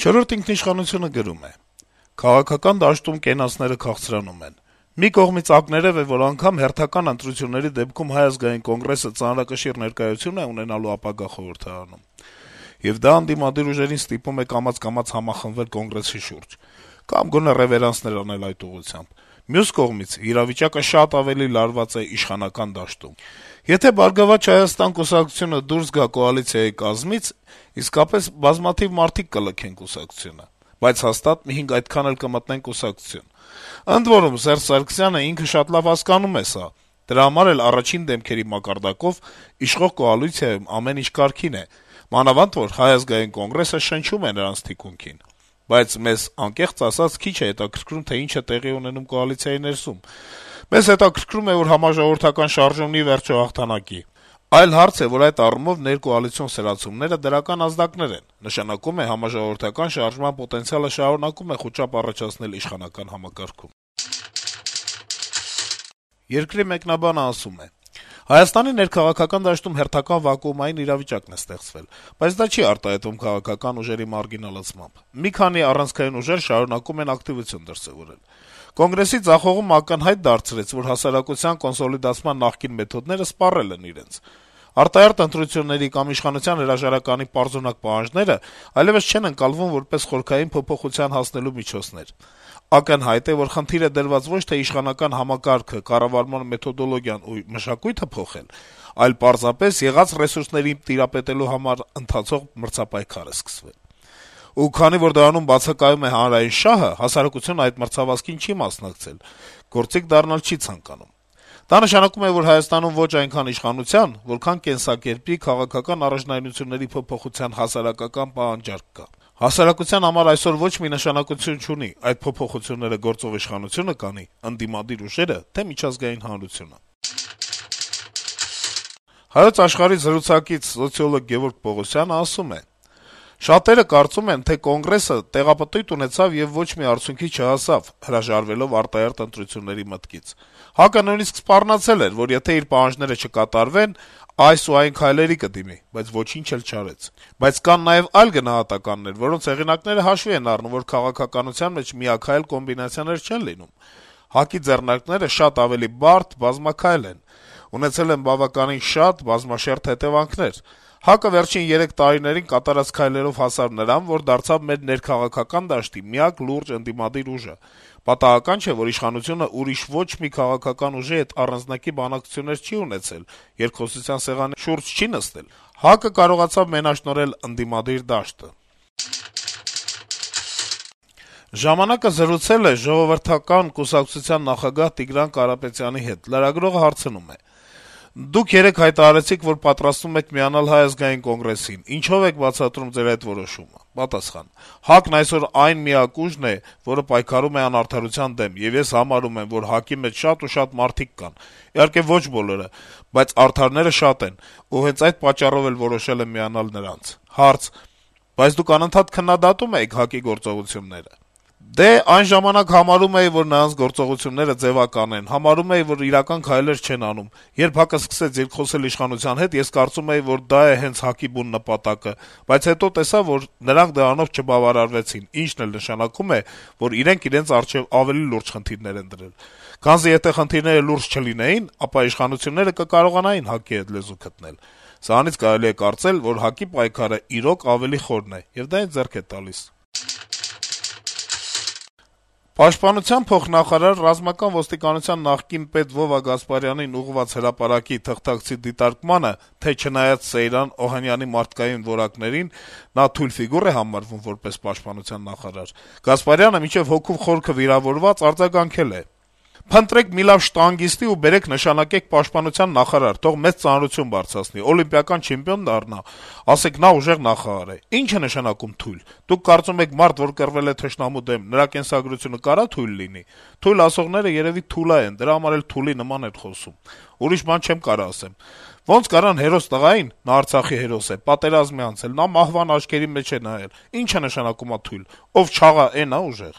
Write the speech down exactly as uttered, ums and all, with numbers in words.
Չորրորդ ինքնիշխանությունը գրում է. - «Քաղաքական դաշտում կենացները քաղցրանում են: Մի կողմից ակներեւ է, որ անգամ հերթական ընտրությունների դեպքում Հայ ազգային կոնգրեսը ծանրակշիռ ներկայություն է ունենալու ապագա խորհրդարանում: Եվ դա ընդդիմադիր ուժերին ստիպում է կամաց-կամաց համախմբվել Կոնգրեսի շուրջ, կամ գոնե ռեւերանսներ անել այդ ուղղությամբ: Մյուս կողմից, իրավիճակը շատ ավելի լարված է իշխանական դաշտում: Եթե «Բարգավաճ Հայաստան» կուսակցությունը դուրս գա կոալիցիայի կազմից, իսկապես բազմաթիվ մարդիկ կլքեն կուսակցությունը: Բայց հաստատ մի հինգ այդքան էլ կմտնեն կուսակցություն: Ընդ որում, Սերժ Սարգսյանը ինքը շատ լավ հասկանում է սա: Դրա համար էլ առաջին դեմքերի մակարդակով իշխող կոալիցիայում ամեն ինչ կարգին է, մանավանդ որ Հայ ազգային կոնգրեսը շնչում է նրանց թիկունքին: Բայց մեզ, անկեղծ ասած, քիչ է հետաքրքրում, թե ինչ է տեղի ունենում կոալիցիայի ներսում: Մեզ հետաքրքրում է, որ համաժողովրդական շարժումն ի վերջո հաղթանակի: Այլ հարց է, որ այդ առումով ներկոալիցիոն սրացումները դրական ազդակներ են, նշանակում է համաժողովրդական շարժման պոտենցիալը շարունակում է խուճապ առաջացնել իշխանական համակարգում»: «Երկիր» թերթի մեկնաբանը ասում է. - «Հայաստանի ներքաղաքական դաշտում հերթական վակուումային իրավիճակ է ստեղծվել, բայց դա չի արտահայտվում քաղաքական ուժերի մարգինալացմամբ: Մի քանի առանցքային ուժեր շարունակում են ակտիվություն դրսեւորել: Կոնգրեսի ձախողումը ակնհայտ դարձրեց, որ հասարակության կոնսոլիդացման նախկին մեթոդները սպառել են իրենց: Արտահերթ ընտրությունների կամ իշխանության հրաժարականի պարզունակ պահանջները այլեւս չեն ընկալվում որպես խորքային փոփոխության հասնելու միջոցներ: Ակնհայտ է, որ խնդիր է դրված ոչ թե իշխանական համակարգը, կառավարման մեթոդոլոգիան ու մշակույթը փոխել, այլ պարզապես եղած ռեսուրսներին տիրապետելու համար ընթացող մրցապայքար է սկսվել: Ու քանի որ դրանում բացակայում է հանրային շահը, հասարակությունը այդ մրցավազքին չի մասնակցել, գործիք դառնալ չի ցանկանում: Դա նշանակում է, որ Հայաստանում ոչ այնքան իշխանության, որքան կենսակերպի, քաղաքական առաջնայնությունների փոփոխության հասարակական պահանջարկ կա: Հասարակության համար այսօր ոչ մի նշանակություն չունի` այդ փոփոխությունները գործող իշխանությո՞ւնը կանի, ընդդիմադիր ուժե՞րը, թե՞ միջազգային հանրությունը»: «Հայոց Աշխարհ»-ի զրուցակից սոցիոլոգ Գեւորգ Պողոսյանը ասում է. - «Շատերը կարծում են, թե Կոնգրեսը տեղապտույտ ունեցավ եւ ոչ մի արդյունքի չհասավ` հրաժարվելով արտահերթ ընտրությունների մտքից: ՀԱԿ-ը նույնիսկ սպառնացել էր, որ եթե իր պահանջները չկատարվեն, այս ու այն քայլերի կդիմի, բայց ոչինչ էլ չարեց: Բայց կան նաեւ այլ գնահատականներ, որոնց հեղինակները հաշվի են առնում, որ քաղաքականության մեջ միաքայլ կոմբինացիաներ չեն լինում: ՀԱԿ-ի ձեռնարկները շատ ավելի բարդ, բազմաքայլ են, ունեցել են բավականին շատ, բազմաշերտ հետեւանքներ: ՀԱԿ-ը վերջին երեք տարիներին կատարած քայլերով հասավ նրան, որ դարձավ մեր ներքաղաքական դաշտի միակ լուրջ ընդդիմադիր ուժը: Պատահական չէ, որ իշխանությունը ուրիշ ոչ մի քաղաքական ուժի հետ առանձնակի բանակցություններ չի ունեցել, երկխոսության սեղանի շուրջ չի նստել: ՀԱԿ-ը կարողացավ մենաշնորհել ընդդիմադիր դաշտը»: «Ժամանակ»-ը զրուցել է Ժողովրդական կուսակցության նախագահ Տիգրան Կարապետյանի հետ: Լրագրողը հարցնում է. - «Դուք երեկ հայտարարեցիք, որ պատրաստվում եք միանալ Հայ ազգային կոնգրեսին: Ինչո՞վ եք բացատրում ձեր այդ որոշումը»: Պատասխան. - «ՀԱԿ-ն այսօր այն միակ ուժն է, որը պայքարում է անարդարության դեմ, եւ ես համարում եմ, որ ՀԱԿ-ի մեջ շատ ու շատ մարդիկ կան: Իհարկե ոչ բոլորը, բայց արդարները շատ են, ու հենց այդ պատճառով էլ որոշել եմ միանալ նրանց»: Հարց. - «Բայց դուք անընդհատ քննադատում էիք ՀԱԿ-ի գործողությունները»: «Դե, այն ժամանակ համարում էի, որ նրանց գործողությունները ձեւական են, համարում էի, որ իրական քայլեր չեն անում: Երբ ՀԱԿ-ը սկսեց երկխոսել իշխանության հետ, ես կարծում էի, որ դա է հենց ՀԱԿ-ի բուն նպատակը: Բայց հետո տեսա, որ նրանք դրանով չբավարարվեցին, ինչն էլ նշանակում է, որ իրենք իրենց առջեւ ավելի լուրջ խնդիրներ են դրել: Քանզի եթե խնդիրները լուրջ չլինեին, ապա իշխանությունները կկարողանային ՀԱԿ-ի հետ լեզու գտնել: Սրանից կարելի է կարծել, որ ՀԱԿ-ի պայքարը իրոք ավելի խորն է, եւ դա ինձ ձեռք է տալիս»: Պաշտպանության փոխնախարար, Ռազմական ոստիկանության նախկին պետ Վովա Գասպարյանին ուղղված հրապարակի թղթակցի դիտարկմանը, թե չնայած Սեյրան Օհանյանի մարդկային որակներին նա թույլ ֆիգուր է համարվում որպես պաշտպանության նախարար, Գասպարյանը մինչեւ հոգու խորքը վիրավորված արձագանքել է. - «Փնտրեք մի լավ շտանգիստի ու բերեք նշանակեք պաշտպանության նախարար, թող մեծ ծանրություն բարձրացնի, օլիմպիական չեմպիոն դառնա, ասեք նա ուժեղ նախարար է: Ի՞նչ է նշանակում թույլ: Դուք կարծում եք մարդ, որ կռվել է թշնամու դեմ, նրա կենսագրությունը կարա՞ թույլ լինի: Թույլ ասողները երեւի թուլա են, դրա համար էլ թուլի նման են խոսում: Ուրիշ բան չեմ կարող ասեմ: Ոնց կարան հերոս տղային (նա Արցախի հերոս է) պատերազմի անցել, նա մահվան աչքերի մեջ է նայել: Ի՞նչ է նշանակում ա թույլ: Ով չաղա, էն ա՞ ուժեղ»: